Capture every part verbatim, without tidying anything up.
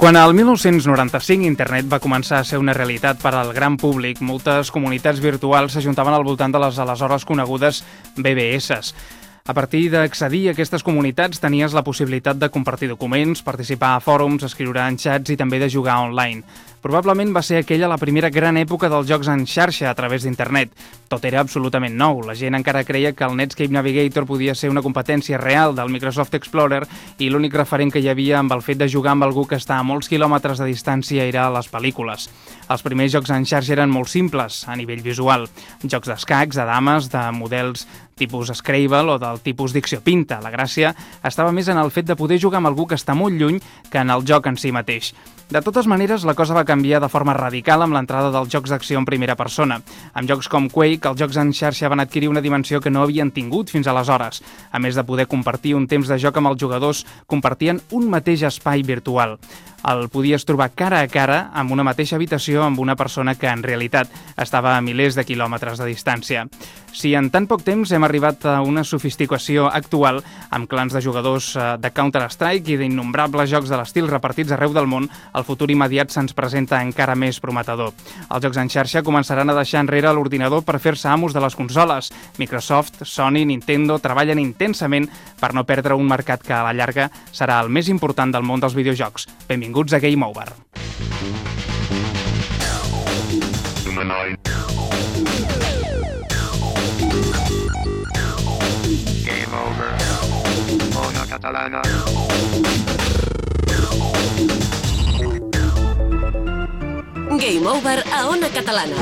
Quan el mil nou-cents noranta-cinc internet va començar a ser una realitat per al gran públic, moltes comunitats virtuals s'ajuntaven al voltant de les aleshores conegudes B B S. A partir d'accedir a aquestes comunitats tenies la possibilitat de compartir documents, participar a fòrums, escriure en xats i també de jugar online. Probablement va ser aquella la primera gran època dels jocs en xarxa a través d'internet. Tot era absolutament nou. La gent encara creia que el Netscape Navigator podia ser una competència real del Microsoft Explorer i l'únic referent que hi havia amb el fet de jugar amb algú que està a molts quilòmetres de distància era les pel·lícules. Els primers jocs en xarxa eren molt simples a nivell visual. Jocs d'escacs, de dames, de models tipus Scrabble o del tipus Dicció Pinta. La gràcia estava més en el fet de poder jugar amb algú que està molt lluny que en el joc en si mateix. De totes maneres, la cosa va canviar de forma radical amb l'entrada dels jocs d'acció en primera persona. Amb jocs com Quake, els jocs en xarxa van adquirir una dimensió que no havien tingut fins aleshores. A més de poder compartir un temps de joc amb els jugadors, compartien un mateix espai virtual. El podies trobar cara a cara amb una mateixa habitació amb una persona que en realitat estava a milers de quilòmetres de distància. Si en tan poc temps hem arribat a una sofisticació actual amb clans de jugadors de Counter-Strike i d'innombrables jocs de l'estil repartits arreu del món, el futur immediat se'ns presenta encara més prometedor. Els jocs en xarxa començaran a deixar enrere l'ordinador per fer-se amos de les consoles. Microsoft, Sony, Nintendo treballen intensament per no perdre un mercat que a la llarga serà el més important del món dels videojocs. Benvinguts a Game Over. Game Over. Ona Catalana. Game Over a Ona Catalana.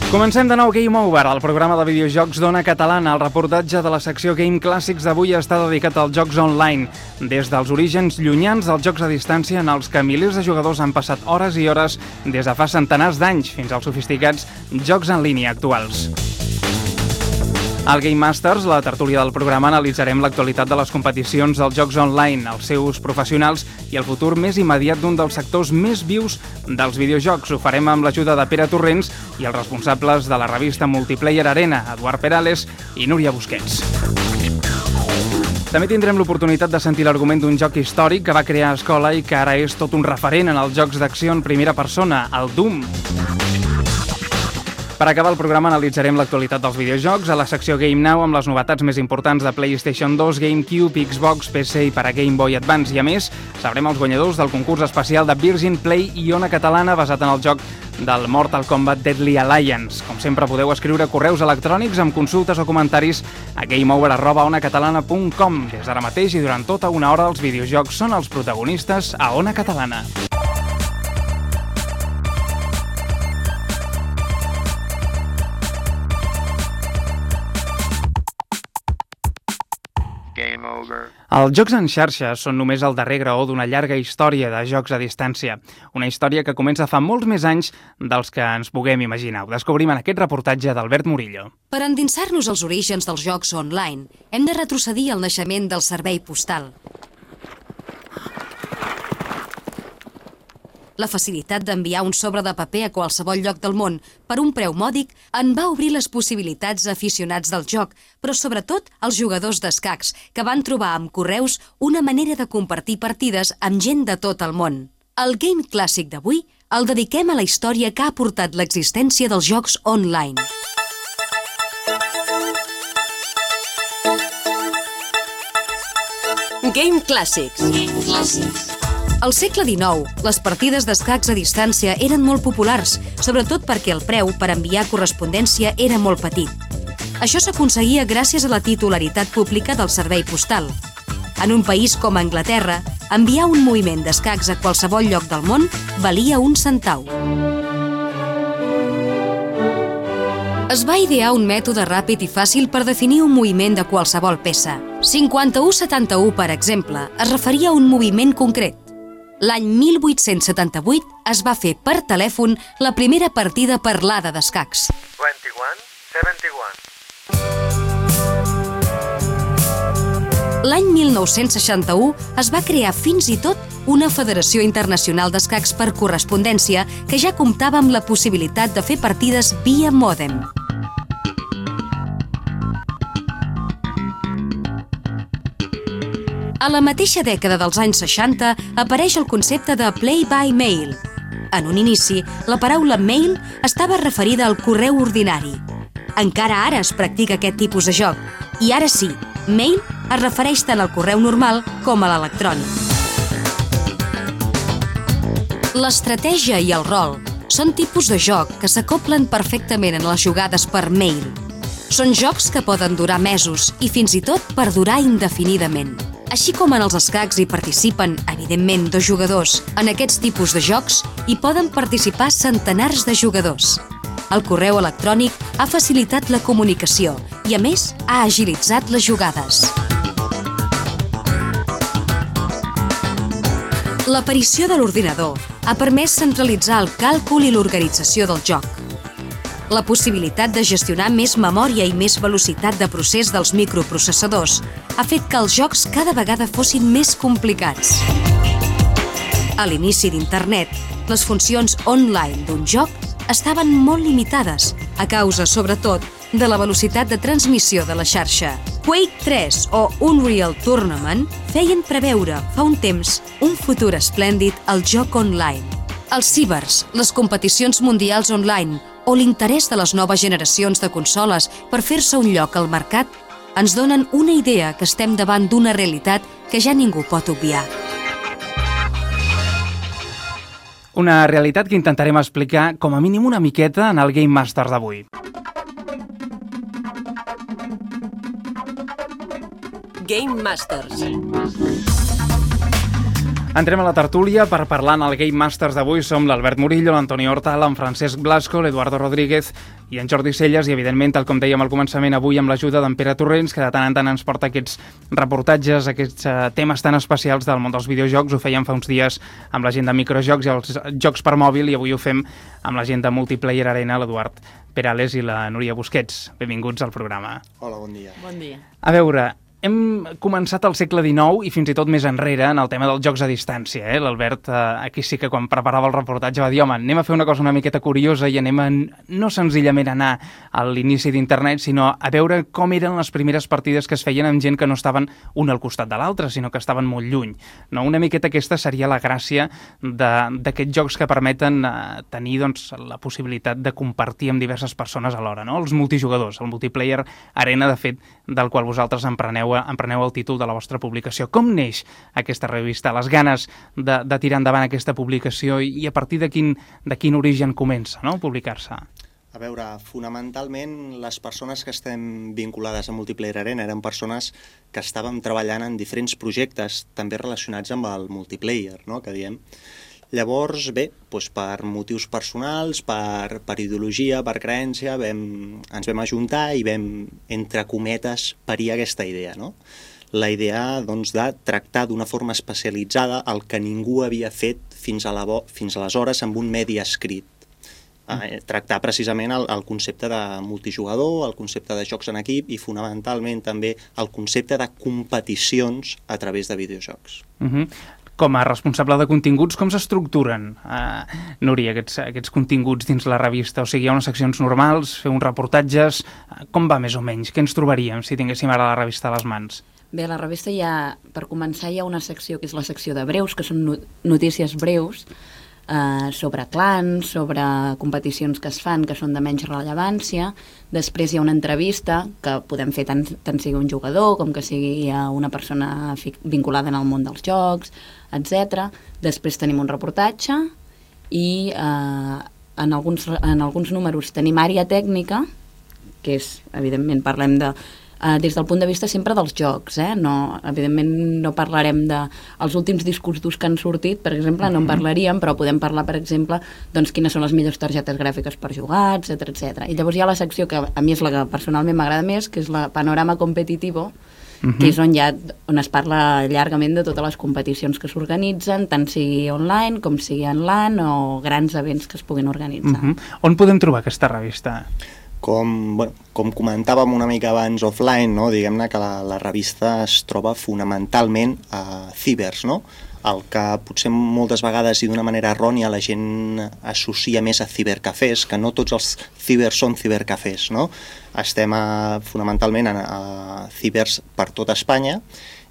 Comencem de nou Game Over, el programa de videojocs d'Ona Catalana. El reportatge de la secció Game Clàssics d'avui està dedicat als jocs online. Des dels orígens llunyans dels jocs a distància en els que milers de jugadors han passat hores i hores des de fa centenars d'anys fins als sofisticats jocs en línia actuals. Al Game Masters, la tertúlia del programa, analitzarem l'actualitat de les competicions dels jocs online, els seus professionals i el futur més immediat d'un dels sectors més vius dels videojocs. Ho farem amb l'ajuda de Pere Torrents i els responsables de la revista Multiplayer Arena, Eduard Perales i Núria Busquets. També tindrem l'oportunitat de sentir l'argument d'un joc històric que va crear escola i que ara és tot un referent en els jocs d'acció en primera persona, el Doom. Per acabar el programa analitzarem l'actualitat dels videojocs a la secció Game Now amb les novetats més importants de PlayStation dos, GameCube, Xbox, P C i per a Game Boy Advance. I a més, sabrem els guanyadors del concurs especial de Virgin Play i Ona Catalana basat en el joc del Mortal Kombat Deadly Alliance. Com sempre, podeu escriure correus electrònics amb consultes o comentaris a gameover arroba onacatalana punt com. Des d'ara mateix i durant tota una hora els videojocs són els protagonistes a Ona Catalana. Game Over. Els jocs en xarxa són només el darrer graó d'una llarga història de jocs a distància. Una història que comença fa molts més anys dels que ens puguem imaginar. Ho descobrim en aquest reportatge d'Albert Murillo. Per endinsar-nos als orígens dels jocs online, hem de retrocedir al naixement del servei postal. La facilitat d'enviar un sobre de paper a qualsevol lloc del món per un preu mòdic en va obrir les possibilitats a aficionats del joc, però sobretot als jugadors d'escacs, que van trobar amb correus una manera de compartir partides amb gent de tot el món. El Game Clàssic d'avui el dediquem a la història que ha portat l'existència dels jocs online. Game Clàssics. Game Clàssics. Al segle dinou, les partides d'escacs a distància eren molt populars, sobretot perquè el preu per enviar correspondència era molt petit. Això s'aconseguia gràcies a la titularitat pública del servei postal. En un país com Anglaterra, enviar un moviment d'escacs a qualsevol lloc del món valia un centau. Es va idear un mètode ràpid i fàcil per definir un moviment de qualsevol peça. cinquanta-u setanta-u, per exemple, es referia a un moviment concret. L'any mil vuit-cents setanta-vuit es va fer per telèfon la primera partida parlada d'escacs. vint-i-u setanta-u. L'any mil nou-cents seixanta-u es va crear fins i tot una Federació Internacional d'Escacs per correspondència que ja comptava amb la possibilitat de fer partides via mòdem. A la mateixa dècada dels anys seixanta apareix el concepte de play by mail. En un inici, la paraula mail estava referida al correu ordinari. Encara ara es practica aquest tipus de joc, i ara sí, mail es refereix tant al correu normal com a l'electrònic. L'estratègia i el rol són tipus de joc que s'acoplen perfectament en les jugades per mail. Són jocs que poden durar mesos i fins i tot perdurar indefinidament. Així com en els escacs hi participen, evidentment, dos jugadors, en aquests tipus de jocs hi poden participar centenars de jugadors. El correu electrònic ha facilitat la comunicació i, a més, ha agilitzat les jugades. L'aparició de l'ordinador ha permès centralitzar el càlcul i l'organització del joc. La possibilitat de gestionar més memòria i més velocitat de procés dels microprocessadors ha fet que els jocs cada vegada fossin més complicats. A l'inici d'Internet, les funcions online d'un joc estaven molt limitades, a causa, sobretot, de la velocitat de transmissió de la xarxa. Quake tres o Unreal Tournament feien preveure, fa un temps, un futur esplèndid al joc online. Els cibers, les competicions mundials online o l'interès de les noves generacions de consoles per fer-se un lloc al mercat ens donen una idea que estem davant d'una realitat que ja ningú pot obviar. Una realitat que intentarem explicar com a mínim una miqueta en el Game Master d'avui. Game Masters. Entrem a la tertúlia per parlar en el Game Masters d'avui. Som l'Albert Murillo, l'Antoni Hortal, en Francesc Blasco, l'Eduardo Rodríguez i en Jordi Celles i, evidentment, tal com dèiem al començament, avui amb l'ajuda d'en Pere Torrents, que de tant en tant ens porta aquests reportatges, aquests uh, temes tan especials del món dels videojocs. Ho fèiem fa uns dies amb la gent de microjocs i els jocs per mòbil i avui ho fem amb la gent de Multiplayer Arena, l'Eduard Perales i la Núria Busquets. Benvinguts al programa. Hola, bon dia. Bon dia. A veure, hem començat al segle dinou i fins i tot més enrere en el tema dels jocs a distància. Eh? L'Albert eh, aquí sí que quan preparava el reportatge va dir home, anem a fer una cosa una miqueta curiosa i anem a no senzillament anar a l'inici d'internet, sinó a veure com eren les primeres partides que es feien amb gent que no estaven un al costat de l'altre, sinó que estaven molt lluny. No? Una miqueta aquesta seria la gràcia d'aquests jocs que permeten eh, tenir doncs, la possibilitat de compartir amb diverses persones alhora. No? Els multijugadors, el Multiplayer Arena, de fet, del qual vosaltres en preneu empreneu el títol de la vostra publicació. Com neix aquesta revista? Les ganes de, de tirar endavant aquesta publicació i, i a partir de quin, de quin origen comença, no?, publicar-se? A veure, fonamentalment les persones que estem vinculades a Multiplayer Arena eren persones que estàvem treballant en diferents projectes també relacionats amb el multiplayer, no?, que diem. Llavors, bé, doncs per motius personals, per, per ideologia, per creença, vam, ens vam ajuntar i vam, entre cometes, parir aquesta idea, no? La idea doncs, de tractar d'una forma especialitzada el que ningú havia fet fins, a la bo, fins aleshores amb un medi escrit. Eh, tractar precisament el, el concepte de multijugador, el concepte de jocs en equip i fonamentalment també el concepte de competicions a través de videojocs. Uh-huh. Com a responsable de continguts, com s'estructuren, uh, Núria, aquests, aquests continguts dins la revista? O sigui, hi ha unes seccions normals, fer uns reportatges, uh, com va més o menys? Què ens trobaríem si tinguéssim ara la revista a les mans? Bé, a la revista hi ha, per començar, hi ha una secció que és la secció de breus, que són notícies breus, eh, sobre clans, sobre competicions que es fan, que són de menys rellevància. Després hi ha una entrevista, que podem fer tant, tant sigui un jugador com que sigui una persona vinculada en el món dels jocs, etcètera. Després tenim un reportatge i eh, en, alguns, en alguns números tenim àrea tècnica, que és, evidentment, parlem de Uh, des del punt de vista sempre dels jocs, eh? No, evidentment no parlarem dels últims discos durs que han sortit, per exemple, no en parlaríem, però podem parlar, per exemple, doncs, quines són les millors targetes gràfiques per jugar, etcètera, etcètera. I llavors hi ha la secció que a mi és la que personalment m'agrada més, que és la panorama competitivo, uh-huh. que és on, ja, on es parla llargament de totes les competicions que s'organitzen, tant sigui online com sigui en LAN o grans events que es puguin organitzar. Uh-huh. On podem trobar aquesta revista? Com, bueno, com comentàvem una mica abans offline, no? Diguem-ne que la, la revista es troba fonamentalment a cibers, no? El que potser moltes vegades i d'una manera errònia la gent associa més a cibercafès, que no tots els cibers són cibercafès, no? Estem a, fonamentalment a, a cibers per tota Espanya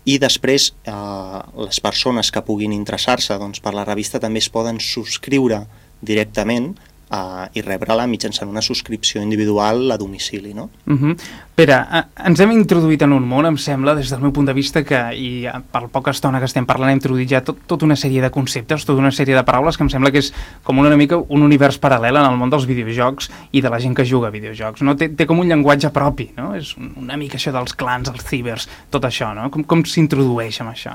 i després eh, les persones que puguin interessar-se doncs, per la revista també es poden subscriure directament Uh, i rebre-la mitjançant una subscripció individual a domicili, no? Uh-huh. Pere, uh, ens hem introduït en un món, em sembla, des del meu punt de vista, que, i uh, per poca estona que estem parlant, hem introduït ja tot, tota una sèrie de conceptes, tota una sèrie de paraules que em sembla que és com una mica un univers paral·lel en el món dels videojocs i de la gent que juga a videojocs, no? Té, té com un llenguatge propi, no? És una mica això dels clans, els cibers, tot això, no? Com, com s'introdueix amb això?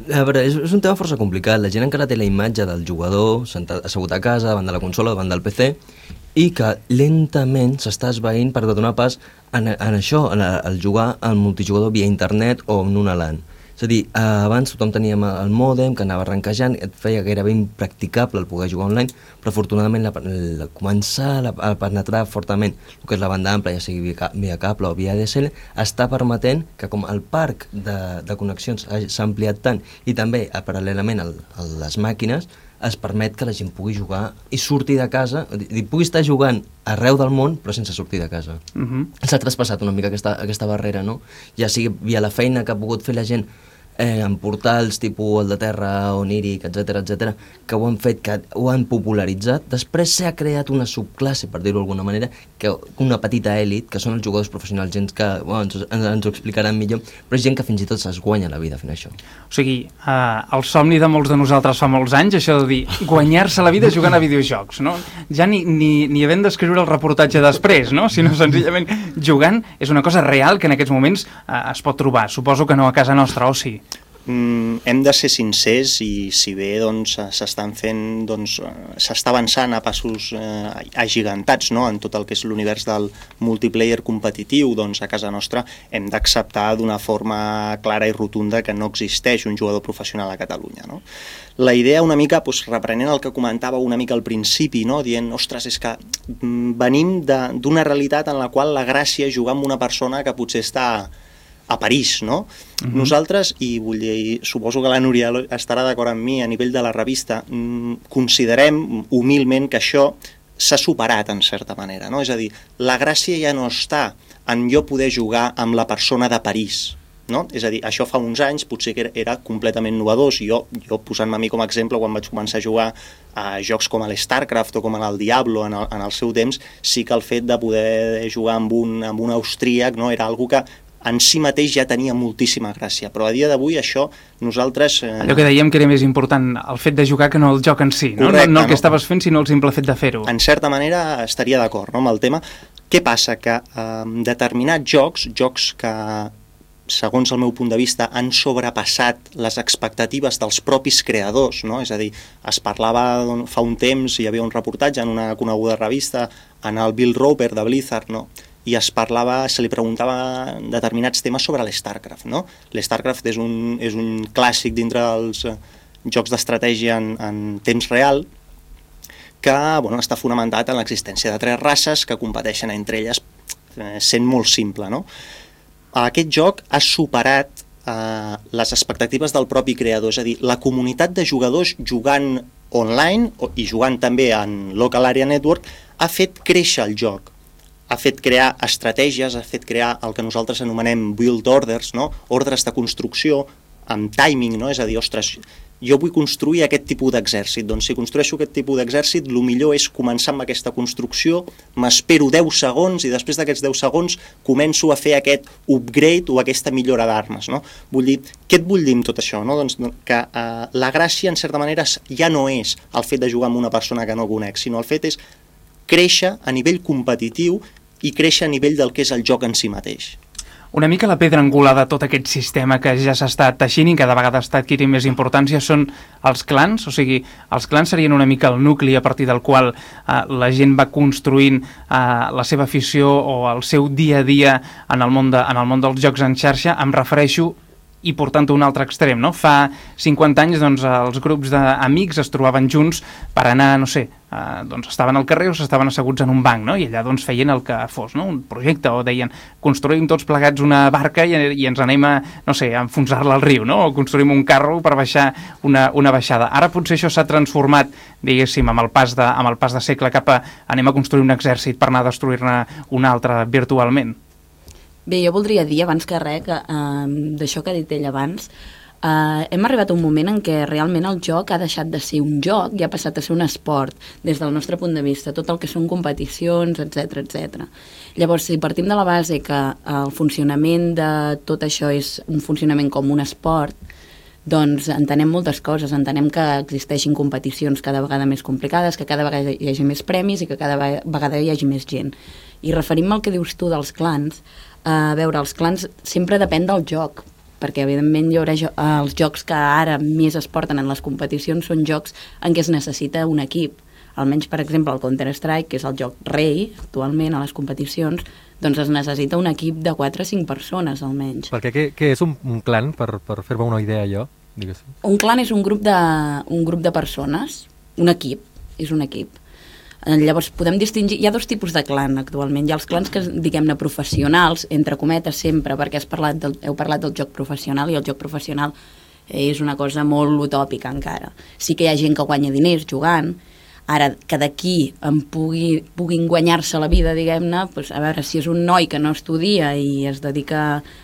A veure, és, és un tema força complicat. La gent encara té la imatge del jugador sentat, assegut a casa, davant de la consola, davant del P C, i que lentament s'està esvaint per donar pas en, en això, en el jugar al multijugador via internet o en una LAN. És a dir, abans tothom teníem el mòdem que anava arrenquejant, et feia gairebé impracticable el poder jugar online, però afortunadament la, la, començar a, a penetrar fortament el que és la banda ampla, ja sigui via, via cable o via A D S L, està permetent que com el parc de, de connexions s'ha ampliat tant i també paral·lelament a les màquines, es permet que la gent pugui jugar i sortir de casa, i pugui estar jugant arreu del món, però sense sortir de casa. Uh-huh. S'ha traspassat una mica aquesta, aquesta barrera, no? Ja sigui via la feina que ha pogut fer la gent eh, en portals tipus el de Terra, Oníric, etcètera, etcètera, que ho han fet, que ho han popularitzat. Després s'ha creat una subclasse, per dir-ho d'alguna manera, que una petita èlit, que són els jugadors professionals, gent que bueno, ens, ens ho explicaran millor, però és gent que fins i tot es guanya la vida fent això. O sigui, eh, el somni de molts de nosaltres fa molts anys, això de dir, guanyar-se la vida jugant a videojocs, no? Ja ni, ni, ni havent d'escriure el reportatge després, no? Sinó senzillament jugant és una cosa real que en aquests moments eh, es pot trobar. Suposo que no a casa nostra, o sí? Mm, hem de ser sincers i si bé doncs, s'estan fent, doncs, s'està avançant a passos eh, agigantats, no? En tot el que és l'univers del multiplayer competitiu, doncs a casa nostra hem d'acceptar d'una forma clara i rotunda que no existeix un jugador professional a Catalunya, no? La idea una mica, doncs, reprenent el que comentava una mica al principi, no? Dient, ostres, és que venim d'una realitat en la qual la gràcia és jugar amb una persona que potser està a París, no? Uh-huh. Nosaltres, i vull dir, suposo que la Núria estarà d'acord amb mi a nivell de la revista, considerem humilment que això s'ha superat en certa manera, no? És a dir, la gràcia ja no està en jo poder jugar amb la persona de París, no? És a dir, això fa uns anys potser que era, era completament novedós. Jo, jo posant-me a mi com a exemple, quan vaig començar a jugar a jocs com l'StarCraft o com el Diablo en el, en el seu temps, sí que el fet de poder jugar amb un, amb un austríac, no? Era algo que en si mateix ja tenia moltíssima gràcia, però a dia d'avui això nosaltres... Eh... Allò que dèiem que era més important el fet de jugar que no el joc en si, no? Correcte, no, no el que no? estaves fent, sinó el simple fet de fer-ho. En certa manera estaria d'acord, no, amb el tema. Què passa? Que eh, determinats jocs, jocs que segons el meu punt de vista han sobrepassat les expectatives dels propis creadors, no? És a dir, es parlava fa un temps, hi havia un reportatge en una coneguda revista, en el Bill Roper de Blizzard, no? I es parlava, se li preguntava determinats temes sobre l'StarCraft, no? L'StarCraft és un, és un clàssic dintre dels jocs d'estratègia en, en temps real que, bueno, està fonamentat en l'existència de tres races que competeixen entre elles, eh, sent molt simple, no? Aquest joc ha superat eh, les expectatives del propi creador, és a dir, la comunitat de jugadors jugant online i jugant també en Local Area Network ha fet créixer el joc, ha fet crear estratègies, ha fet crear el que nosaltres anomenem build orders, no? Ordres de construcció amb timing, no? És a dir, ostres, jo vull construir aquest tipus d'exèrcit, doncs si construeixo aquest tipus d'exèrcit, el millor és començar amb aquesta construcció, m'espero deu segons i després d'aquests deu segons començo a fer aquest upgrade o aquesta millora d'armes, no? Vull dir, què et vull dir amb tot això, no? Doncs que eh, la gràcia, en certa manera, ja no és el fet de jugar amb una persona que no conec, sinó el fet és créixer a nivell competitiu i créixer a nivell del que és el joc en si mateix. Una mica la pedra angular de tot aquest sistema que ja s'està teixint i cada vegada està adquirint més importància són els clans, o sigui, els clans serien una mica el nucli a partir del qual eh, la gent va construint eh, la seva afició o el seu dia a dia en el món, de, en el món dels jocs en xarxa. Em refereixo i portant a un altre extrem, no? Fa cinquanta anys, doncs, els grups d'amics es trobaven junts per anar, no sé, eh, doncs estaven al carrer o s'estaven asseguts en un banc, no? I allà, doncs, feien el que fos, no? Un projecte, o deien, construïm tots plegats una barca i, i ens anem a, no sé, a enfonsar-la al riu, no? O construïm un carro per baixar una, una baixada. Ara potser això s'ha transformat, diguéssim, amb el pas de, amb el pas de segle cap a anem a construir un exèrcit per anar a destruir-ne un altre virtualment. Bé, jo voldria dir, abans que res, que, eh, d'això que ha dit ell abans, eh, hem arribat a un moment en què realment el joc ha deixat de ser un joc i ha passat a ser un esport, des del nostre punt de vista, tot el que són competicions, etcètera, etcètera. Llavors, si partim de la base que el funcionament de tot això és un funcionament com un esport, doncs entenem moltes coses, entenem que existeixin competicions cada vegada més complicades, que cada vegada hi hagi més premis i que cada vegada hi hagi més gent. I referim-me al que dius tu dels clans, a veure, els clans sempre depèn del joc, perquè evidentment hi haurà jo els jocs que ara més es porten en les competicions són jocs en què es necessita un equip. Almenys, per exemple, el Counter-Strike, que és el joc rei actualment a les competicions, doncs es necessita un equip de quatre o cinc persones, almenys. Perquè què, què és un, un clan, per, per fer-me una idea jo? Diguéssim. Un clan és un grup, de, un grup de persones, un equip, és un equip. Llavors, podem distingir... Hi ha dos tipus de clan actualment. Hi ha els clans que, diguem-ne, professionals, entre cometes sempre, perquè has parlat del, heu parlat del joc professional, i el joc professional és una cosa molt utòpica encara. Sí que hi ha gent que guanya diners jugant, ara que d'aquí en pugui, puguin guanyar-se la vida, diguem-ne, doncs, a veure, si és un noi que no estudia i es dedica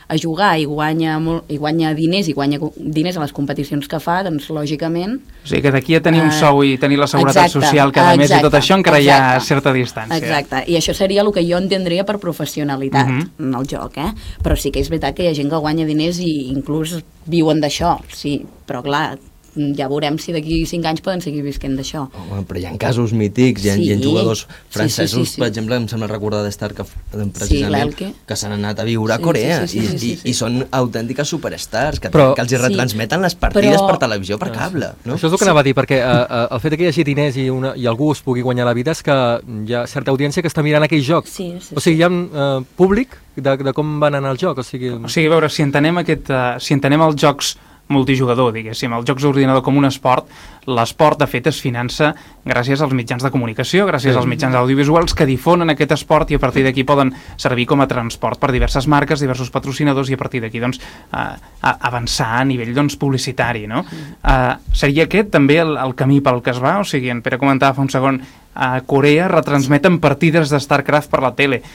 a jugar i guanya, molt, i guanya diners i guanya diners a les competicions que fa, doncs lògicament... O sigui que d'aquí a tenir un sou i tenir la seguretat exacte, social cada mes exacte, i tot això encara exacte, hi ha certa distància. Exacte, i això seria el que jo entendria per professionalitat uh-huh. en el joc, eh? Però sí que és veritat que hi ha gent que guanya diners i inclús viuen d'això, sí, però clar, ja veurem si d'aquí cinc anys poden seguir visquent d'això. Oh, però hi ha casos mítics, hi ha, sí. hi ha jugadors francesos, sí, sí, sí, sí. per exemple, em sembla recordar de StarCraft precisament, sí, que s'han anat a viure a Corea sí, sí, sí, sí, sí, i, sí. i, i són autèntiques superstars que, però, que els hi retransmeten sí, les partides però, per televisió, per cable. No? Això és el que sí. anava a dir, perquè uh, el fet que hi hagi diners i, una, i algú es pugui guanyar la vida és que hi ha certa audiència que està mirant aquell joc. Sí, sí, o sigui, hi ha uh, públic de, de com van anar el joc. O sigui, o sigui a veure, si entenem, aquest, uh, si entenem els jocs multijugador, diguéssim, els jocs d'ordinador com un esport, l'esport de fet es finança gràcies als mitjans de comunicació, gràcies sí. als mitjans audiovisuals que difonen aquest esport i a partir d'aquí poden servir com a transport per diverses marques, diversos patrocinadors i a partir d'aquí doncs, uh, avançar a nivell doncs, publicitari. No? Uh, seria aquest també el, el camí pel que es va? O sigui, en Pere comentava fa un segon, a Corea retransmeten partides de StarCraft per la tele.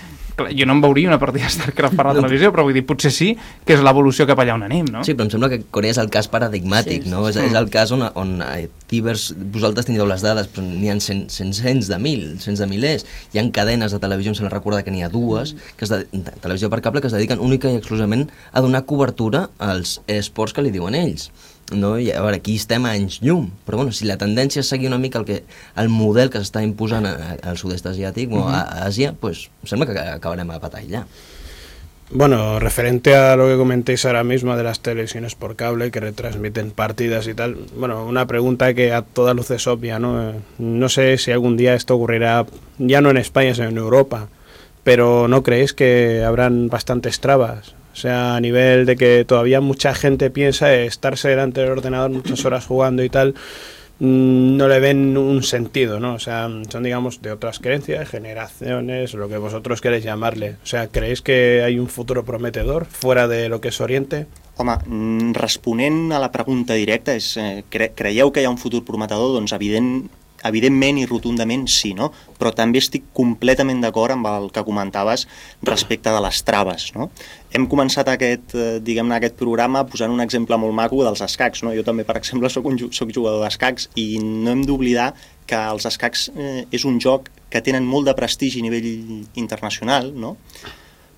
Jo no em veuria una partida de StarCraft per la televisió, però vull dir, potser sí que és l'evolució cap allà on anem, no? Sí, però em sembla que Corea és el cas paradigmàtic, sí, sí, no? Sí. És, és el cas on, on divers, vosaltres teniu les dades, però n'hi ha cent, cent, cents de mil, cents de milers. Hi ha cadenes de televisió, em sembla recordar que n'hi ha dues, que és de, de televisió per cable, que es dediquen única i exclusivament a donar cobertura als esports que li diuen ells. No? I a veure, aquí estem a anys llum, però bueno, si la tendència és seguir una mica el, que, el model que s'està imposant al sud-est asiàtic o a, a Àsia, pues sembla que acabarem a patar allà. Bueno, referente a lo que comentéis ahora mismo de las televisiones por cable que retransmiten partidas y tal, bueno, una pregunta que a toda luz es obvia, ¿no? No sé si algún día esto ocurrirá, ya no en España, sino en Europa, pero ¿no creéis que habrán bastantes trabas? O sea, a nivel de que todavía mucha gente piensa estarse delante del ordenador muchas horas jugando y tal, no le ven un sentido, ¿no? O sea, son, digamos, de otras creencias, generaciones, lo que vosotros queréis llamarle. O sea, ¿creéis que hay un futuro prometedor fuera de lo que es Oriente? Home, responent a la pregunta directa, és, eh, cre creieu que hi ha un futur prometedor? Doncs evident, evidentment i rotundament sí, no? Però també estic completament d'acord amb el que comentaves respecte de les traves, no? Hem començat aquest, eh, diguem-ne, aquest programa posant un exemple molt maco dels escacs, no? Jo també, per exemple, soc, un, soc jugador d'escacs i no hem d'oblidar que els escacs eh, és un joc que tenen molt de prestigi a nivell internacional, no?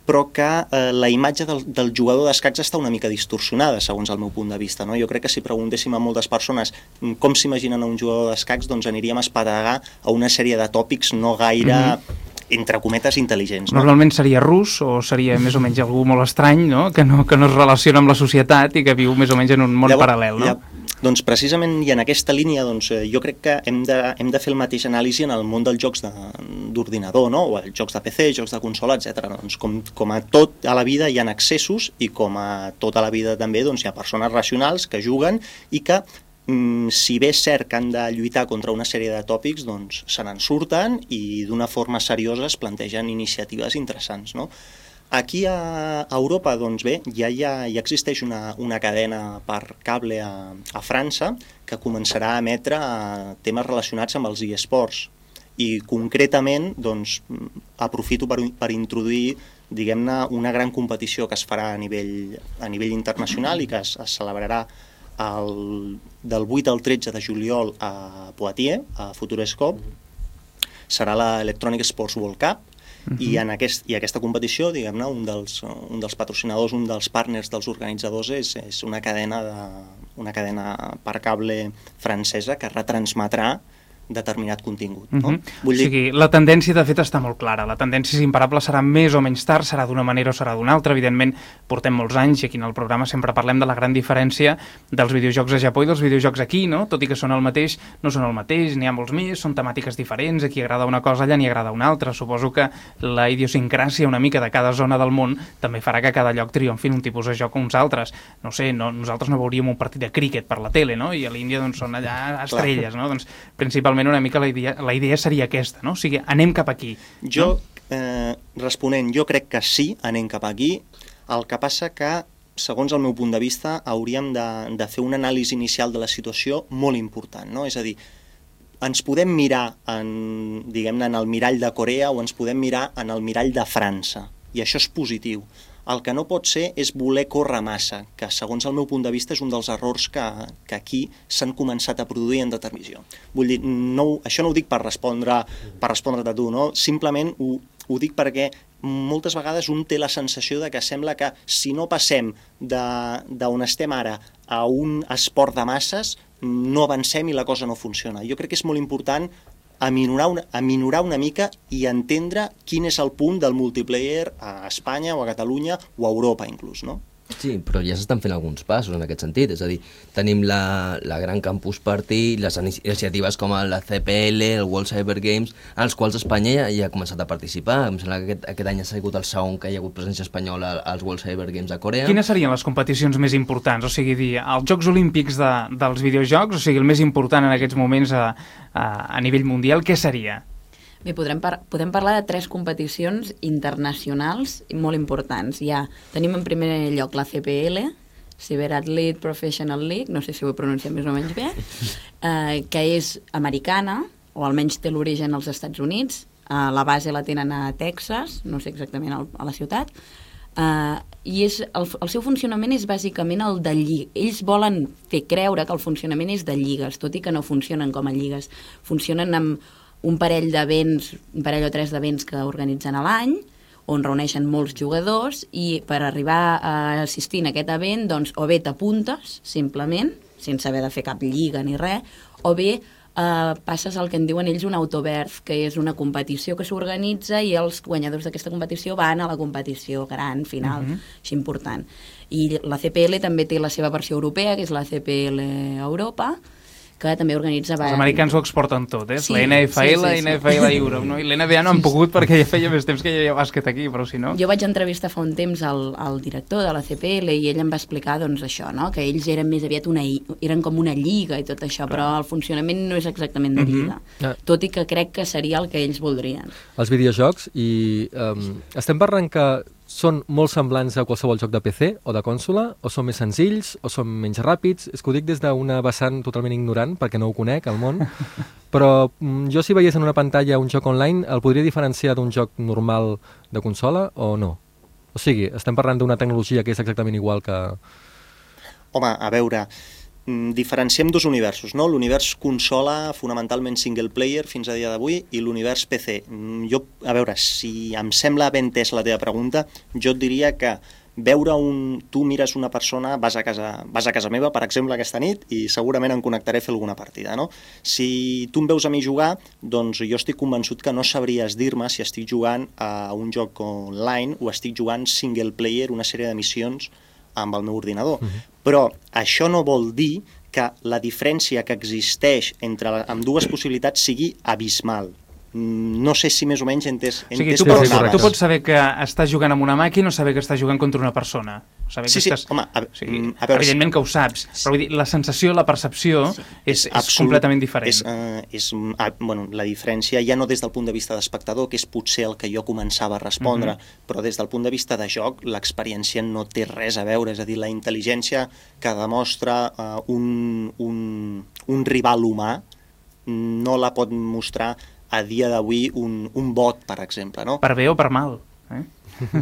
Però que eh, la imatge del, del jugador d'escacs està una mica distorsionada, segons el meu punt de vista, no? Jo crec que si preguntéssim a moltes persones com s'imaginen un jugador d'escacs, doncs aniríem a espadegar a una sèrie de tòpics no gaire, mm-hmm. entre cometes, intel·ligents. No? Normalment seria rus o seria més o menys algú molt estrany, no? Que, no, que no es relaciona amb la societat i que viu més o menys en un món Llavors, paral·lel, no? Ja, doncs precisament i en aquesta línia doncs, jo crec que hem de, hem de fer el mateix anàlisi en el món dels jocs d'ordinador, no? O els jocs de P C, jocs de consola, etcètera. Doncs com, com a tot a la vida hi ha excessos i com a tota la vida també doncs, hi ha persones racionals que juguen i que si bé és cert que han de lluitar contra una sèrie de tòpics, doncs se n'en surten i d'una forma seriosa es plantegen iniciatives interessants, no? Aquí a Europa, doncs bé, ja, ja, ja existeix una, una cadena per cable a, a França que començarà a emetre temes relacionats amb els eSports i concretament doncs, aprofito per, per introduir diguem-ne, una gran competició que es farà a nivell, a nivell internacional i que es, es celebrarà el, del vuit al tretze de juliol a Poitiers, a Futurescope. Serà l'Electronic Sports World Cup. Uh-huh. I, en aquest, i aquesta competició, diguem-ne, un dels, un dels patrocinadors, un dels partners dels organitzadors és, és una cadena de, una cadena per cable francesa que retransmetrà determinat contingut. No? Uh-huh. Vull dir... O sigui, la tendència de fet està molt clara. La tendència és imparable, serà més o menys tard, serà d'una manera o serà d'una altra. Evidentment, portem molts anys i aquí en el programa sempre parlem de la gran diferència dels videojocs a Japó i dels videojocs aquí, no? Tot i que són el mateix, no són el mateix, n'hi ha molts més, són temàtiques diferents, aquí agrada una cosa, allà n'hi agrada una altra. Suposo que la idiosincràsia una mica de cada zona del món també farà que cada lloc triomfin un tipus de joc o uns altres. No sé, no, nosaltres no veuríem un partit de críquet per la tele, no? I a l'Índia doncs, són allà estrelles, no? Doncs principalment una mica la idea, la idea seria aquesta, no? O sigui, anem cap aquí. Jo, no? eh, responent, jo crec que sí, anem cap aquí. El que passa que, segons el meu punt de vista, hauríem de, de fer una anàlisi inicial de la situació molt important, no? És a dir, ens podem mirar en, diguem-ne, en el mirall de Corea o ens podem mirar en el mirall de França, i això és positiu. El que no pot ser és voler córrer massa, que segons el meu punt de vista és un dels errors que, que aquí s'han començat a produir en determinació. Vull dir, no, això no ho dic per respondre per respondre a tu, no? Simplement ho, ho dic perquè moltes vegades un té la sensació de que sembla que si no passem d'on estem ara a un esport de masses, no avancem i la cosa no funciona. Jo crec que és molt important aminorar una, aminorar una mica i entendre quin és el punt del multiplayer a Espanya o a Catalunya o a Europa inclús, no? Sí, però ja s'estan fent alguns passos en aquest sentit, és a dir, tenim la, la Gran Campus Party, les iniciatives com la C P L, el World Cyber Games, als quals Espanya ja, ja ha començat a participar. Em sembla que aquest, aquest any ha sigut el segon que hi ha hagut presència espanyola als World Cyber Games a Corea. Quines serien les competicions més importants? O sigui, dir, els Jocs Olímpics de, dels videojocs, o sigui, el més important en aquests moments a, a, a nivell mundial, què seria? Bé, podrem, par podem parlar de tres competicions internacionals molt importants. Ja tenim en primer lloc la C P L, Cyber Athlete Professional League, no sé si ho he pronunciat més o menys bé, eh, que és americana, o almenys té l'origen als Estats Units. Eh, la base la tenen a Texas, no sé exactament al, a la ciutat, eh, i és, el, el seu funcionament és bàsicament el de lligues. Ells volen fer creure que el funcionament és de lligues, tot i que no funcionen com a lligues. Funcionen amb un parell d'events, un parell o tres d'events que organitzen a l'any, on reuneixen molts jugadors, i per arribar a assistir en aquest event, doncs, o bé t'apuntes, simplement, sense haver de fer cap lliga ni res, o bé eh, passes el que en diuen ells un autobirth, que és una competició que s'organitza i els guanyadors d'aquesta competició van a la competició gran, final, uh-huh. així important. I la C P L també té la seva versió europea, que és la C P L Europa, que també organitza... Els americans ho exporten tot, eh? Sí, la N F L, sí, sí, sí. N F L Europe, no? I l'N B A no han pogut perquè ja feia més temps que hi havia bàsquet aquí, però si no... Jo vaig entrevistar fa un temps al, al director de la C P L i ell em va explicar doncs, això, no? Que ells eren més aviat una, eren com una lliga i tot això, però el funcionament no és exactament de lliga, uh-huh. tot i que crec que seria el que ells voldrien. Els videojocs, i um, estem parlant que són molt semblants a qualsevol joc de P C o de consola, o són més senzills, o són menys ràpids? És que ho dic des d'una vessant totalment ignorant, perquè no ho conec, el món, però jo si veiés en una pantalla un joc online, el podria diferenciar d'un joc normal de consola o no? O sigui, estem parlant d'una tecnologia que és exactament igual que... Home, a veure, diferenciem dos universos, no? L'univers consola, fonamentalment single player fins a dia d'avui, i l'univers P C. Jo, a veure, si em sembla ben entès la teva pregunta, jo et diria que veure un... Tu mires una persona, vas a casa, vas a casa meva, per exemple, aquesta nit, i segurament em connectaré a fer alguna partida, no? Si tu em veus a mi jugar, doncs jo estic convençut que no sabries dir-me si estic jugant a un joc online o estic jugant single player, una sèrie de missions amb el meu ordinador. Uh-huh. Però això no vol dir que la diferència que existeix entre amb dues possibilitats sigui abismal. No sé si més o menys entès, o sigui, entès tu, per pots, on tu pots saber que estàs jugant amb una màquina o saber que estàs jugant contra una persona. Saber sí, que sí, estàs... home, a, o sigui, a veure... Evidentment que ho saps, però vull dir, la sensació, la percepció sí. és, és, és completament diferent. És, uh, és, uh, bueno, la diferència ja no des del punt de vista d'espectador, que és potser el que jo començava a respondre, uh-huh. però des del punt de vista de joc, l'experiència no té res a veure, és a dir, la intel·ligència que demostra uh, un, un, un rival humà no la pot mostrar a dia d'avui un, un bot, per exemple, no? Per bé o per mal, eh?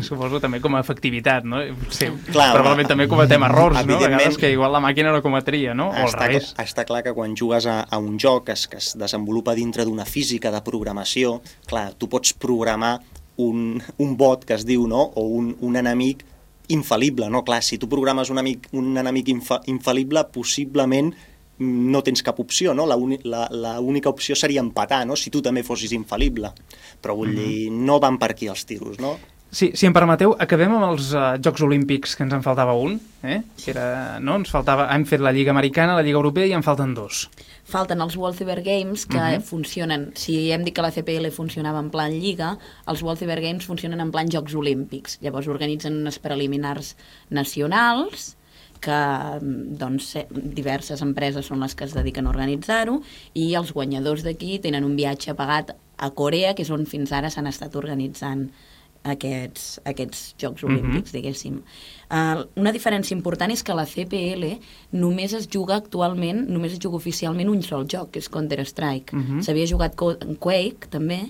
Suposo també com a efectivitat, no? Sí, Clar, probablement home, també cometem errors, no? A evidentment, vegades que igual la màquina no cometria, no? O al Està, revés. està clar que quan jugues a, a un joc que es, que es desenvolupa dintre d'una física de programació, clar, tu pots programar un, un bot que es diu, no?, o un, un enemic infal·lible, no? Clar, si tu programes un, amic, un enemic infa, infal·lible, possiblement no tens cap opció, no? L'única opció seria empatar, no?, si tu també fossis infal·lible. Però vull dir, no van per aquí els tiros, no? Sí, si em permeteu, acabem amb els uh, Jocs Olímpics, que ens en faltava un, eh? Que era, no? Ens faltava, hem fet la Lliga Americana, la Lliga Europea i en falten dos. Falten els World Cyber Games, que Uh-huh. funcionen, si hem dit que la C P L funcionava en plan Lliga, els World Cyber Games funcionen en plan Jocs Olímpics. Llavors organitzen unes preliminars nacionals, que doncs, diverses empreses són les que es dediquen a organitzar-ho, i els guanyadors d'aquí tenen un viatge pagat a Corea, que és on fins ara s'han estat organitzant aquests, aquests Jocs Olímpics, uh-huh. diguéssim. Uh, una diferència important és que la C P L només es juga actualment, només es juga oficialment un sol joc, que és Counter-Strike. Uh-huh. S'havia jugat Quake, també,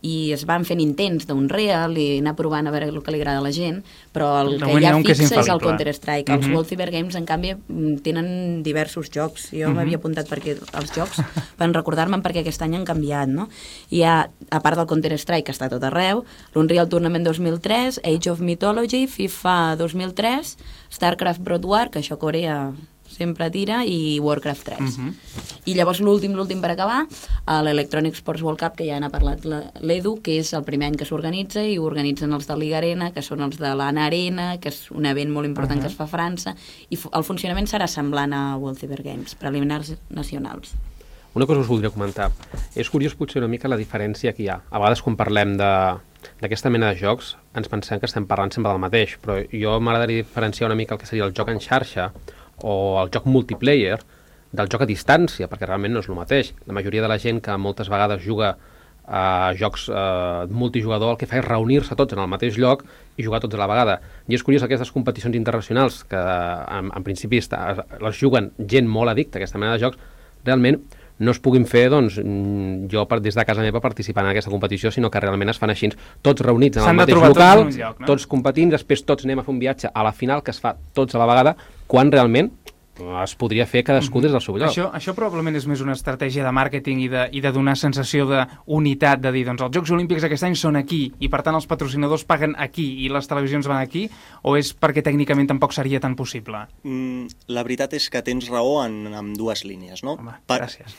i es van fent intents d'Unreal i anar provant a veure el que li agrada a la gent, però el de que ja que fixa és, és el Counter-Strike. Uh-huh. Els World Cyber Games, en canvi, tenen diversos jocs. Jo uh-huh. m'havia apuntat perquè els jocs, per recordar-me'n perquè aquest any han canviat, no? Hi ha, a part del Counter-Strike, que està a tot arreu, l'Unreal Tournament dos mil tres, Age of Mythology, FIFA dos mil tres, StarCraft Broad War, que això Corea sempre tira, i Warcraft tres. Uh-huh. I llavors l'últim, l'últim per acabar, l'Electronic Sports World Cup, que ja n'ha parlat l'Edu, que és el primer any que s'organitza, i ho organitzen els de Liga Arena, que són els de l'Anna Arena, que és un event molt important uh-huh. que es fa a França, i el funcionament serà semblant a World Cyber Games, preliminars nacionals. Una cosa us voldria comentar. És curiós potser una mica la diferència que hi ha. A vegades quan parlem de d'aquesta mena de jocs ens pensem que estem parlant sempre del mateix, però jo m'agradaria diferenciar una mica el que seria el joc en xarxa o el joc multiplayer del joc a distància, perquè realment no és el mateix. La majoria de la gent que moltes vegades juga a jocs eh, multijugador el que fa és reunir-se tots en el mateix lloc i jugar tots a la vegada. I és curiós aquestes competicions internacionals que en, en principi està, les juguen gent molt addicta a aquesta mena de jocs, realment no es puguin fer, doncs, jo per, des de casa meva participant en aquesta competició, sinó que realment es fan així, tots reunits en el mateix local, tots, lloc, no? tots competint, després tots anem a fer un viatge a la final que es fa tots a la vegada, quan realment es podria fer cadascú des del seu lloc. Això, això probablement és més una estratègia de màrqueting i de, i de donar sensació d'unitat, de dir, doncs els Jocs Olímpics aquest any són aquí i per tant els patrocinadors paguen aquí i les televisions van aquí, o és perquè tècnicament tampoc seria tan possible? Mm, la veritat és que tens raó en, en dues línies, no? Home, per... gràcies.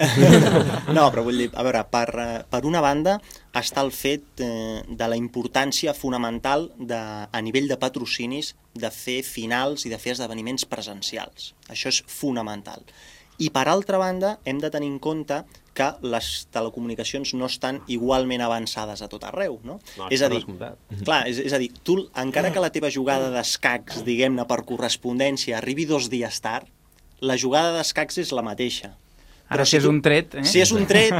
No, però vull dir, a veure, per, per una banda està el fet eh, de la importància fonamental de, a nivell de patrocinis de fer finals i de fer esdeveniments presencials. Això és fonamental. I per altra banda hem de tenir en compte que les telecomunicacions no estan igualment avançades a tot arreu, no? No, és a dir, clar, és, és a dir, tu, encara que la teva jugada d'escacs, diguem-ne, per correspondència arribi dos dies tard, la jugada d'escacs és la mateixa. Ara, si és un tret... Eh? Si és un tret,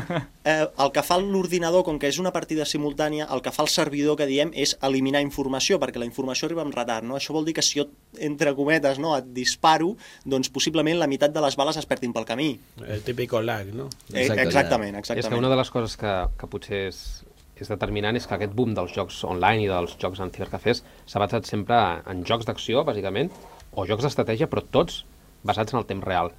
eh, el que fa l'ordinador, com que és una partida simultània, el que fa el servidor, que diem, és eliminar informació, perquè la informació arriba amb retard, no? Això vol dir que si jo, entre cometes, no, et disparo, doncs possiblement la meitat de les bales es perdin pel camí. El típico lag, no? Eh, exactament, exactament. És que una de les coses que, que potser és, és determinant és que aquest boom dels jocs online i dels jocs en cibercafès s'ha basat sempre en jocs d'acció, bàsicament, o jocs d'estratègia, però tots basats en el temps real,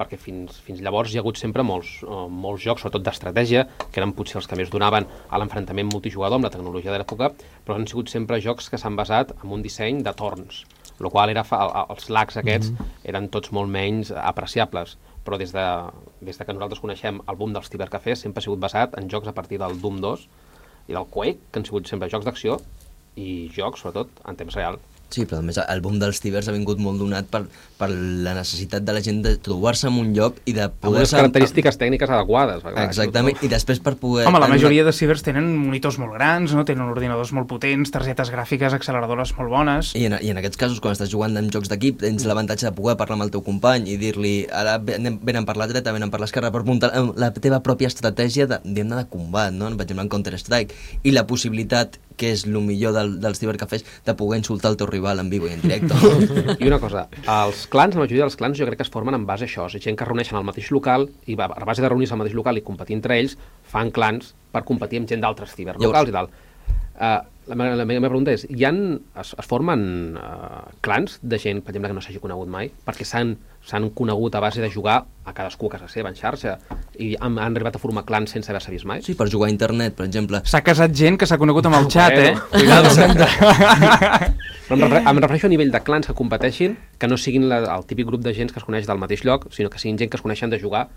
perquè fins, fins llavors hi ha hagut sempre molts, uh, molts jocs, sobretot d'estratègia, que eren potser els que més donaven a l'enfrontament multijugador amb la tecnologia de l'època, però han sigut sempre jocs que s'han basat en un disseny de torns, el qual era fa, els lags aquests mm-hmm. eren tots molt menys apreciables, però des de, des de que nosaltres coneixem el boom dels cibercafès sempre ha sigut basat en jocs a partir del Doom dos i del Quake, que han sigut sempre jocs d'acció i jocs, sobretot, en temps real. Sí, però a més el boom dels cibers ha vingut molt donat per, per la necessitat de la gent de trobar-se en un lloc i de poder... Amb unes característiques tècniques adequades. Clar, exactament, i després per poder... Home, la majoria de cibers tenen monitors molt grans, no? Tenen ordinadors molt potents, targetes gràfiques, acceleradores molt bones... I en, i en aquests casos, quan estàs jugant en jocs d'equip, tens l'avantatge de poder parlar amb el teu company i dir-li, ara venen per la dreta, venen per l'esquerra, per muntar la teva pròpia estratègia de, de combat, no? Per exemple, en Counter-Strike, i la possibilitat, que és el millor del, dels cibercafès, de poder insultar el teu rival en vivo i en directe. I una cosa, els clans, la majoria dels clans jo crec que es formen en base a això, és gent que es reuneixen al mateix local i a base de reunir-se al mateix local i competir entre ells, fan clans per competir amb gent d'altres ciberlocals i tal. Uh, la, meva, la meva pregunta és, hi ha, es, es formen uh, clans de gent, per exemple, que no s'hagi conegut mai, perquè s'han s'han conegut a base de jugar a cadascú a casa seva, en xarxa, i han, han arribat a formar clans sense haver-se vist mai? Sí, per jugar a internet, per exemple. S'ha casat gent que s'ha conegut amb el xat, eh? Cuidado. Però em, refer, em refereixo a nivell de clans que competeixin, que no siguin la, el típic grup de gent que es coneix del mateix lloc, sinó que siguin gent que es coneixen de jugar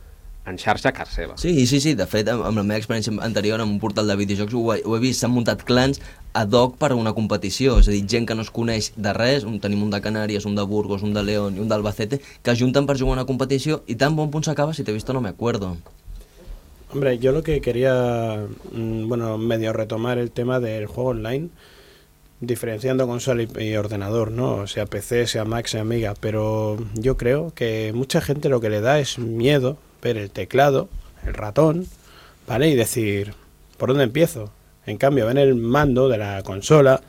en xarxa a casa seva. Sí, sí, sí, de fet, amb la meva experiència anterior en un portal de videojocs ho he, ho he vist, s'han muntat clans ad hoc per a una competició, és a dir, gent que no es coneix de res, un, tenim un de Canàries, un de Burgos, un de León i un d'Albacete, que es junten per jugar a una competició i tan bon punt s'acaba, si t'he visto no me acuerdo. Hombre, yo lo que quería, bueno, medio retomar el tema del juego online, diferenciando consola y, y ordenador, ¿no? Sea P C, sea Mac, sea Amiga, pero yo creo que mucha gente lo que le da es miedo ver el teclado, el ratón, ¿vale? Y decir, ¿por dónde empiezo? En cambio, ven el mando de la consola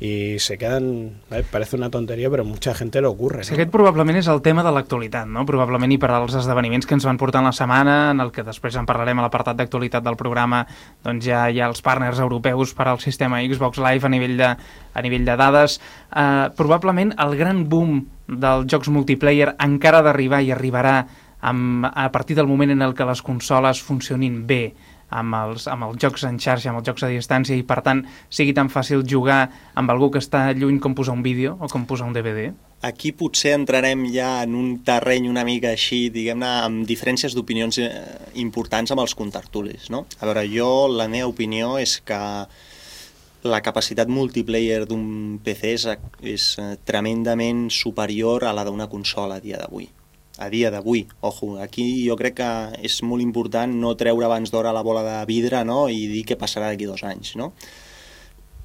i se queden... ¿vale? Parece una tonteria, però mucha gente lo ocurre. Sí, ¿no? aquest probablement és el tema de l'actualitat, no? Probablement i per als esdeveniments que ens van portar en la setmana, en el que després en parlarem a l'apartat d'actualitat del programa, doncs ja hi ha els partners europeus per al sistema Xbox Live a nivell de, a nivell de dades. Uh, probablement el gran boom dels jocs multiplayer encara ha d'arribar i arribarà amb, a partir del moment en el que les consoles funcionin bé, amb els, amb els jocs en xarxa, amb els jocs a distància, i per tant sigui tan fàcil jugar amb algú que està lluny com posar un vídeo o com posar un D V D? Aquí potser entrarem ja en un terreny una mica així, diguem-ne, amb diferències d'opinions importants amb els contertulis, no? A veure, jo, la meva opinió és que la capacitat multiplayer d'un P C és, és tremendament superior a la d'una consola a dia d'avui. A dia d'avui, ojo, aquí jo crec que és molt important no treure abans d'hora la bola de vidre, no?, i dir què passarà d'aquí dos anys, no?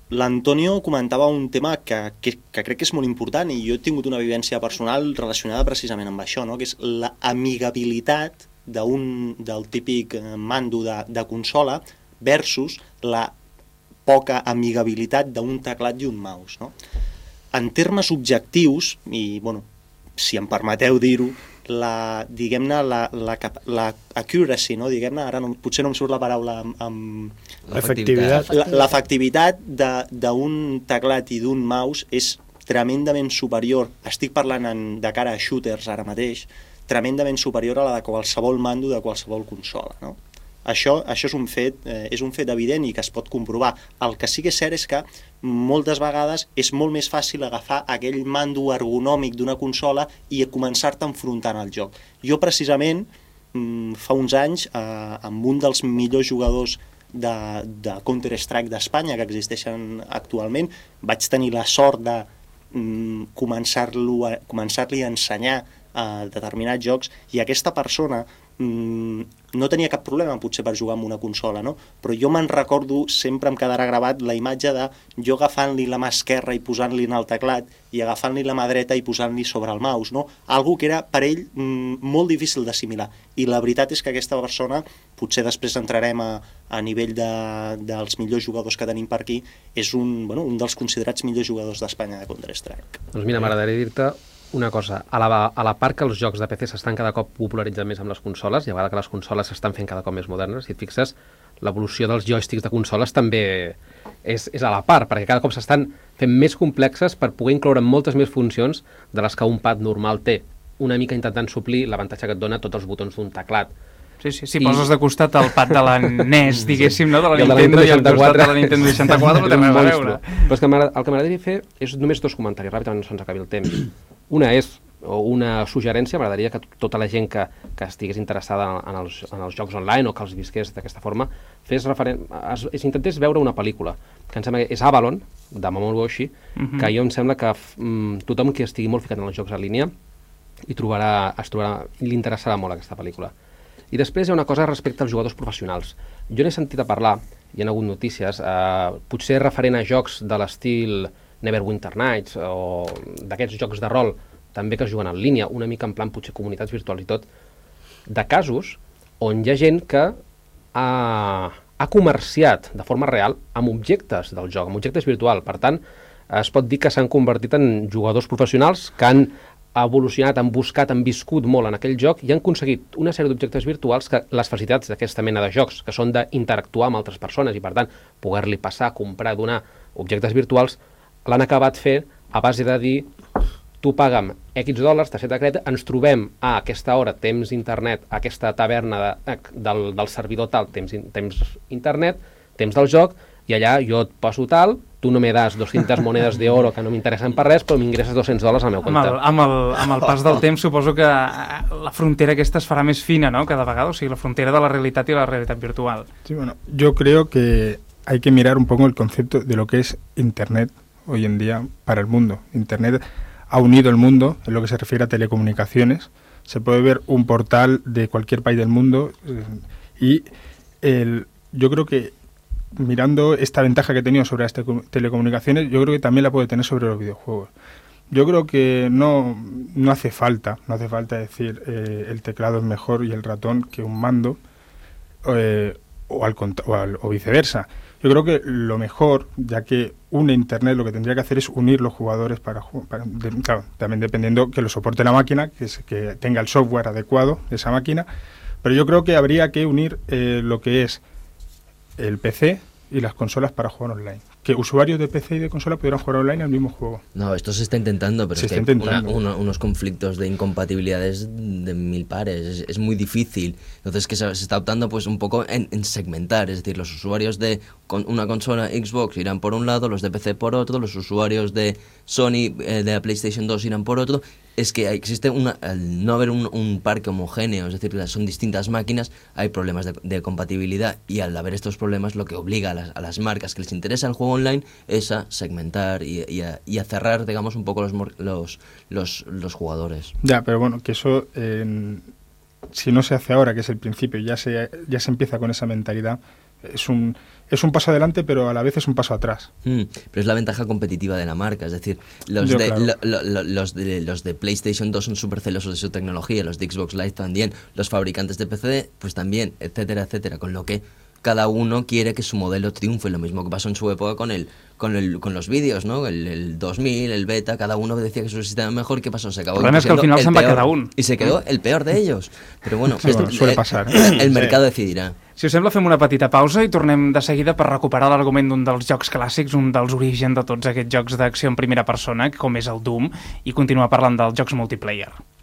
L'Antonio comentava un tema que, que, que crec que és molt important i jo he tingut una vivència personal relacionada precisament amb això, no?, que és l'amigabilitat d'un, del típic mando de, de consola versus la poca amigabilitat d'un teclat i un mouse, no? En termes objectius, i, bueno, si em permeteu dir-ho, la, diguem-ne, la, la, la accuracy, no? Diguem-ne, ara no, potser no em surt la paraula amb... amb l'efectivitat. L'efectivitat d'un teclat i d'un mouse és tremendament superior, estic parlant en, de cara a shooters ara mateix, tremendament superior a la de qualsevol mando de qualsevol consola, no? Això, això és, un fet, eh, és un fet evident i que es pot comprovar. El que sí que és cert és que moltes vegades és molt més fàcil agafar aquell mando ergonòmic d'una consola i començar-te a enfrontar al joc. Jo precisament, fa uns anys, eh, amb un dels millors jugadors de, de Counter-Strike d'Espanya que existeixen actualment, vaig tenir la sort de mm, començar-lo a, començar-li a ensenyar a determinats jocs, i aquesta persona mm, no tenia cap problema potser per jugar amb una consola, no? Però jo me'n recordo, sempre em quedarà gravat la imatge de jo agafant-li la mà esquerra i posant-li en el teclat i agafant-li la mà dreta i posant-li sobre el mouse, no? Algo que era per ell mm, molt difícil d'assimilar, i la veritat és que aquesta persona, potser després entrarem a, a nivell de, dels millors jugadors que tenim per aquí, és un, bueno, un dels considerats millors jugadors d'Espanya de Counter-Strike. Doncs mira, m'agradaria dir-te una cosa, a la, a la part que els jocs de P C s'estan cada cop popularitzant més amb les consoles, i a vegades que les consoles s'estan fent cada cop més modernes, si et fixes, l'evolució dels joysticks de consoles també és, és a la part, perquè cada cop s'estan fent més complexes per poder incloure moltes més funcions de les que un pad normal té, una mica intentant suplir l'avantatge que et dona tots els botons d'un teclat. Sí, sí, si I... poses de costat el pad de la N E S, diguéssim, no? de la Nintendo, i al costat de la Nintendo seixanta-quatre, no té res a veure. Però és que el que m'agradaria fer és només dos comentaris, ràpidament no se'ns acabi el temps. Una és, o una suggerència, m'agradaria que tota la gent que, que estigués interessada en els, en els jocs online o que els visqués d'aquesta forma, fes referen... es, es intentés veure una pel·lícula, que em sembla que és Avalon, de Mamoru Oshii, uh-huh. que jo em sembla que mm, tothom que estigui molt ficat en els jocs en línia hi trobarà, es trobarà, li interessarà molt aquesta pel·lícula. I després hi ha una cosa respecte als jugadors professionals. Jo n'he sentit a parlar, hi ha hagut notícies, eh, potser referent a jocs de l'estil Neverwinter Nights o d'aquests jocs de rol també que es juguen en línia, una mica en plan potser comunitats virtuals i tot, de casos on hi ha gent que ha, ha comerciat de forma real amb objectes del joc, amb objectes virtuals. Per tant, es pot dir que s'han convertit en jugadors professionals que han ha evolucionat, han buscat, han viscut molt en aquell joc i han aconseguit una sèrie d'objectes virtuals que les facilitats d'aquesta mena de jocs, que són d'interactuar amb altres persones i, per tant, poder-li passar, comprar, donar objectes virtuals, l'han acabat fent a base de dir tu paga'm X dòlars, targeta de crèdit, ens trobem a aquesta hora, temps internet, a aquesta taverna de, del, del servidor tal, temps, temps internet, temps del joc, i allà jo et poso tal, tu no me das doscientas monedes de oro que no m'interessen per res, però m'ingresses dos-cents dòlars al meu compte. Amb el, amb, el, amb el pas del temps suposo que la frontera aquesta es farà més fina, ¿no?, cada vegada, o sigui, la frontera de la realitat i la realitat virtual. Sí, bueno, yo creo que hay que mirar un poco el concepto de lo que es Internet hoy en día para el mundo. Internet ha unido el mundo en lo que se refiere a telecomunicaciones. Se puede ver un portal de cualquier país del mundo eh, y el, yo creo que mirando esta ventaja que he tenido sobre las te telecomunicaciones, yo creo que también la puede tener sobre los videojuegos. Yo creo que no, no hace falta, no hace falta decir eh, el teclado es mejor y el ratón que un mando eh, o, al, o, al, o viceversa. Yo creo que lo mejor, ya que une Internet, lo que tendría que hacer es unir los jugadores para, para de, claro, también dependiendo que lo soporte la máquina, que, es, que tenga el software adecuado de esa máquina, pero yo creo que habría que unir eh, lo que es el P C y las consolas para jugar online. Que usuarios de P C y de consola pudieran jugar online al mismo juego. No, esto se está intentando, pero se es está que hay intentando. una, una, unos conflictos de incompatibilidades de mil pares, es, es muy difícil. Entonces que se, se está optando pues un poco en, en segmentar, es decir, los usuarios de con una consola Xbox irán por un lado, los de P C por otro, los usuarios de Sony, eh, de la PlayStation dos irán por otro. Es que existe una, al no haber un, un parque homogéneo, es decir, que son distintas máquinas, hay problemas de, de compatibilidad, y al haber estos problemas lo que obliga a las, a las marcas que les interesa el juego online es a segmentar y, y, a, y a cerrar, digamos, un poco los, los, los, los jugadores. Ya, pero bueno, que eso, eh, si no se hace ahora, que es el principio, ya se, ya se empieza con esa mentalidad, es un, es un paso adelante, pero a la vez es un paso atrás. Mm, pero es la ventaja competitiva de la marca, es decir, los, Yo, de, claro. lo, lo, los, de, los de PlayStation dos son súper celosos de su tecnología, los de Xbox Live también, los fabricantes de P C pues también, etcétera, etcétera, con lo que cada uno quiere que su modelo triunfe, lo mismo que pasó en su época con el con el con los vídeos, ¿no? El, el dos mil, el beta, cada uno decía que su sistema mejor, ¿qué pasó? Se acabó. El problema es que al final se'n va quedar un. Y se quedó el peor de ellos. Pero bueno, sí, esto, bueno suele eh, pasar. ¿eh? El mercado decidirà. Si us sembla, fem una petita pausa i tornem de seguida per recuperar l'argument d'un dels jocs clàssics, un dels orígens de tots aquests jocs d'acció en primera persona, com és el Doom, i continuar parlant dels jocs multiplayer.